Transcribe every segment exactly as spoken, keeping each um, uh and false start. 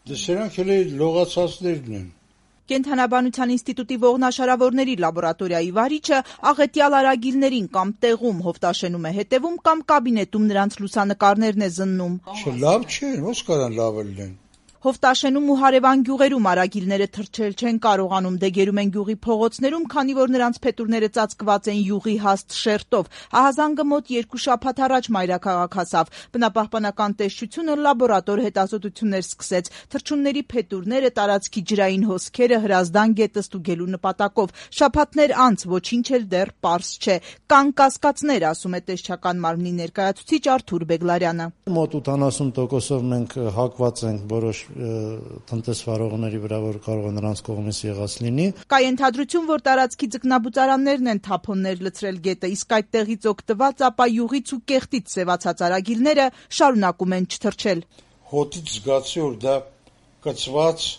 Դե սրանք էլ լողացածներն են։ Կենդանաբանության ինստիտուտի ողնաշարավորների լաբորատորիայի վարիչը աղետյալ արագիլներին կամ տեղում հովտաշենում է հետևում կամ կաբինետում նրանց լուսանկարներն է զննում։ Լավ չէ, ո՞նց կարան լավ լինեն։ Հովտաշենում ու հարևան գյուղերում արագիլները թռչել չեն կարողանում, դեգերում են գյուղի փողոցներում, քանի որ նրանց փետուրները ծածկված են յուղի հաստ շերտով։ Ահազանգը մոտ երկու շաբաթ առաջ մայրաքաղաք հասավ։ Բնապահպանական տեսչությունը լաբորատոր հետազոտություններ սկսեց։ Թռչունների փետուրները, տարածքի ջրային հոսքերը, հրազդան գետը ստուգելու նպատակով։ Շաբաթներ անց ոչինչ էլ դեռ պարզ չէ։ Կան կասկածներ, ասում է տեսչական մարմնի ներկայացուցիչ Արթուր Բեգլարյանը։ Մոտ ութանասուն տոկոսով մենք հակված ենք որոշ տնտեսվարողների վրա, որ կարող է նրանց կողմից եղած լինի։ Կա ենթադրություն, որ տարածքի ձկնաբուծարաններն են թափոններ լցրել գետը, իսկ այդտեղից օգտված ապա յուղից ու կեղտից սևացած արագիլները շարունակում են չթռչել։ Հոտից զգացի, որ դա կծված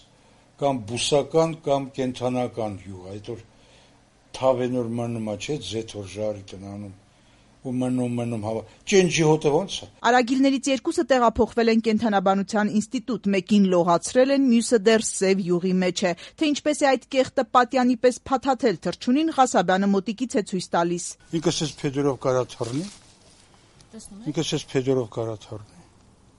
կամ բուսական կամ կենդանական յուղ, այդ որ թավենոր մնում է, չէ, ձեթոր ժարի տնանում ու մնում մնում հավա։ Ճենջի հոտը ո՞նց է։ Արագիլներից երկուսը տեղափոխվել են կենդանաբանության ինստիտուտ, մեկին լողացրել են, մյուսը դեռ սև յուղի մեջ է։ Թե ինչպես է այդ կեղտը պատյանի պես փաթաթել թռչունին, Ղասաբյանը մոտիկից է ցույց տալիս։ Ինքս էս փեդերով կարա թռնի։ Ինքս էս փեդերով կարա թռնի։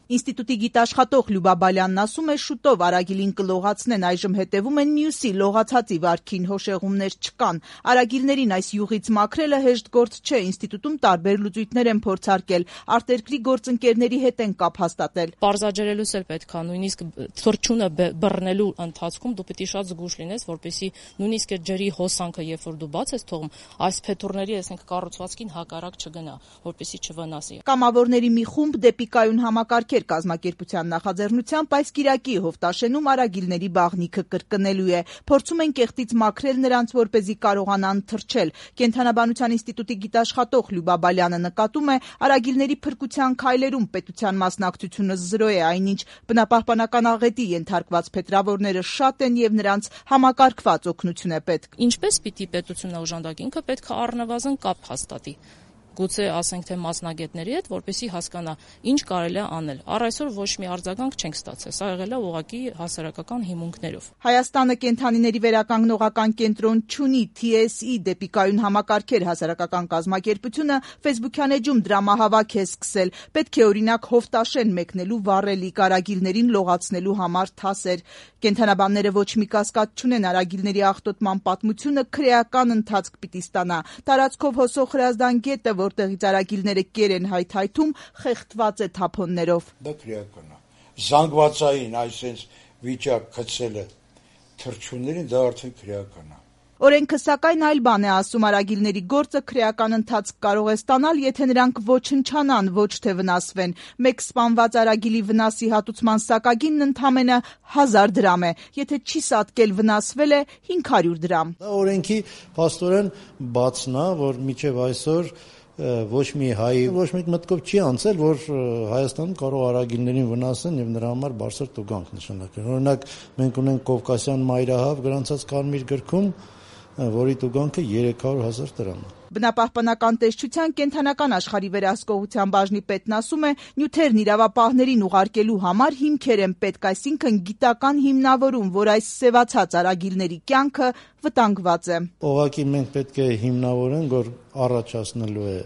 Ինստիտուտի գիտաշխատող Լյուբա Բալյանն ասում է, շուտով արագիլին կլողացնեն, այժմ հետևում են մյուսի լողացածի վարքին, հոշեղումներ չկան։ Արագիլներին այս յուղից մաքրելը հեշտ գործ չէ, ինստիտուտում տարբեր լուծույթներ են փորձարկել, արտերկրի գործընկերների հետ են կապ հաստատել։ Պարզաջրելուց էլ պետք է նույնիսկ թռչունը բռնելու ընթացքում դու պետք է շատ զգուշ լինես, որպեսզի նույնիսկ այդ ջրի հոսանքը, երբ որ դու բաց ես թողում, այս փետուրների, ասենք, կառուցվածքին հակառակ չգնա, որպեսզի չվնասի։ Կամավորների մի խումբ դեպի կայուն համակարգ կազմակերպության նախաձեռնությամբ այս կիրակի հովտաշենում արագիլների բաղնիքը կրկնելու է։ Փորձում են կեղտից մաքրել նրանց, որպեսզի կարողանան թռչել։ Կենդանաբանության ինստիտուտի գիտաշխատող Լյուբա Բալյանը նկատում է, արագիլների փրկության քայլերում պետության մասնակցությունը զրո է, այնինչ բնապահպանական աղետի ենթարկված փետրավորները շատ են եւ նրանց համակարգված օգնություն է պետք։ Ինչպես պիտի պետությունը օժանդակի, ինքը պետք է առնվազն կապ հաստատի։ Գուցե ասենք թե մասնագետների հետ, որպեսզի հասկանա ինչ կարելի է անել։ Առ այսօր ոչ մի արձագանք չենք ստացել։ Սա եղել է ուղղակի հասարակական հիմունքներով։ Հայաստանը կենդանիների վերականգնողական կենտրոն չունի, T S E դեպի կայուն համակարգեր հասարակական կազմակերպությունը Facebook-յան էջում դրամահավաք է սկսել։ Պետք է օրինակ հովտաշեն մեկնելու վառելիք, արագիլներին լողացնելու համար թասեր։ Կենդանաբանները ոչ մի կասկած չունեն, արագիլների աղտոտման պատմությունը քրեական ընթացք պիտի ստանա։ Տարածքով հոսող հրազդան գետը, որտեղից արագիլները կեր են հայթայթում, խեղդված է թափոններով։ Դա քրեական է։ Զանգվածային այսպես վիճակ գցելը թռչուններին դա արդեն քրեական է։ Օրենքը սակայն այլ բան է ասում, արագիլների գործը քրեական ընթացք կարող է ստանալ, եթե նրանք ոչնչանան, ոչ թե վնասվեն։ Մեկ սպանված արագիլի վնասի հատուցման սակագինն ընդամենը հազար դրամ է, եթե չի սատկել վնասվել է հինգ հարյուր դրամ։ Դա օրենքի փաստորեն բացն է, որ մինչև այսօր ոչ մի հայ ոչ մի մտքով չի անցել, որ Հայաստանում կարող արագիլներին վնասեն եւ նրա համար բարձր տուգանք նշանակեն։ Օրինակ մենք ունենք Կովկասյան մայրահավ գրանցած կարմիր գրքում, որի տուգանքը երեք հարյուր հազար դրամ է։ Բնապահպանական տեսչության կենդանական աշխարհի վերահսկողության բաժնի պետն ասում է, նյութերն իրավապահներին ուղարկելու համար հիմքեր են պետք, այսինքն գիտական հիմնավորում, որ այս սևացած արագիլների կյանքը վտանգված է։ Ուղղակի մենք պետք է հիմնավորենք, որ առաջացնելու է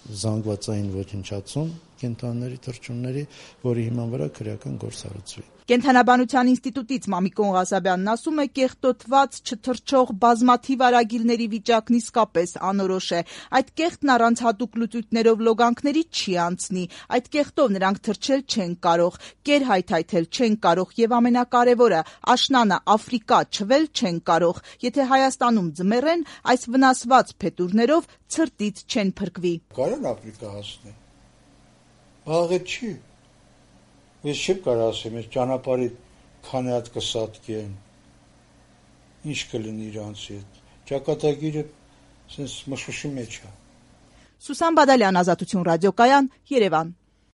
զանգվածային ոչնչացում կենդանիների թռչունների, որի հիման վրա քրեական գործ հարուցվի։ Կենդանաբանության ինստիտուտից Մամիկոն Ղասաբյանն ասում է, կեղտոտված չթռչող բազմաթիվ արագիլների վիճակն իսկապես անորոշ է։ Այդ կեղտն առանց հատուկ լուծույթներով լոգանքների չի անցնի։ Այդ կեղտով նրանք թռչել չեն կարող, կեր հայթայթել չեն կարող եւ ամենակարևորը, աշնանը Աֆրիկա չվել չեն կարող։ Եթե Հայաստանում ձմեռեն, այս վնասված փետուրներով ցրտից չեն փրկվի։ Կարան Աֆրիկա հասնել։ Աղետ չի։ Ես չեմ կարող ասեմ, ես ճանապարհի քանի հատ կսատկեն։ Ինչ կլինի իրանց հետ։ Ճակատագիրը sense մշուշի մեջ է։ Սուսան Բադալյան, Ազատություն ռադիոկայան, Երևան։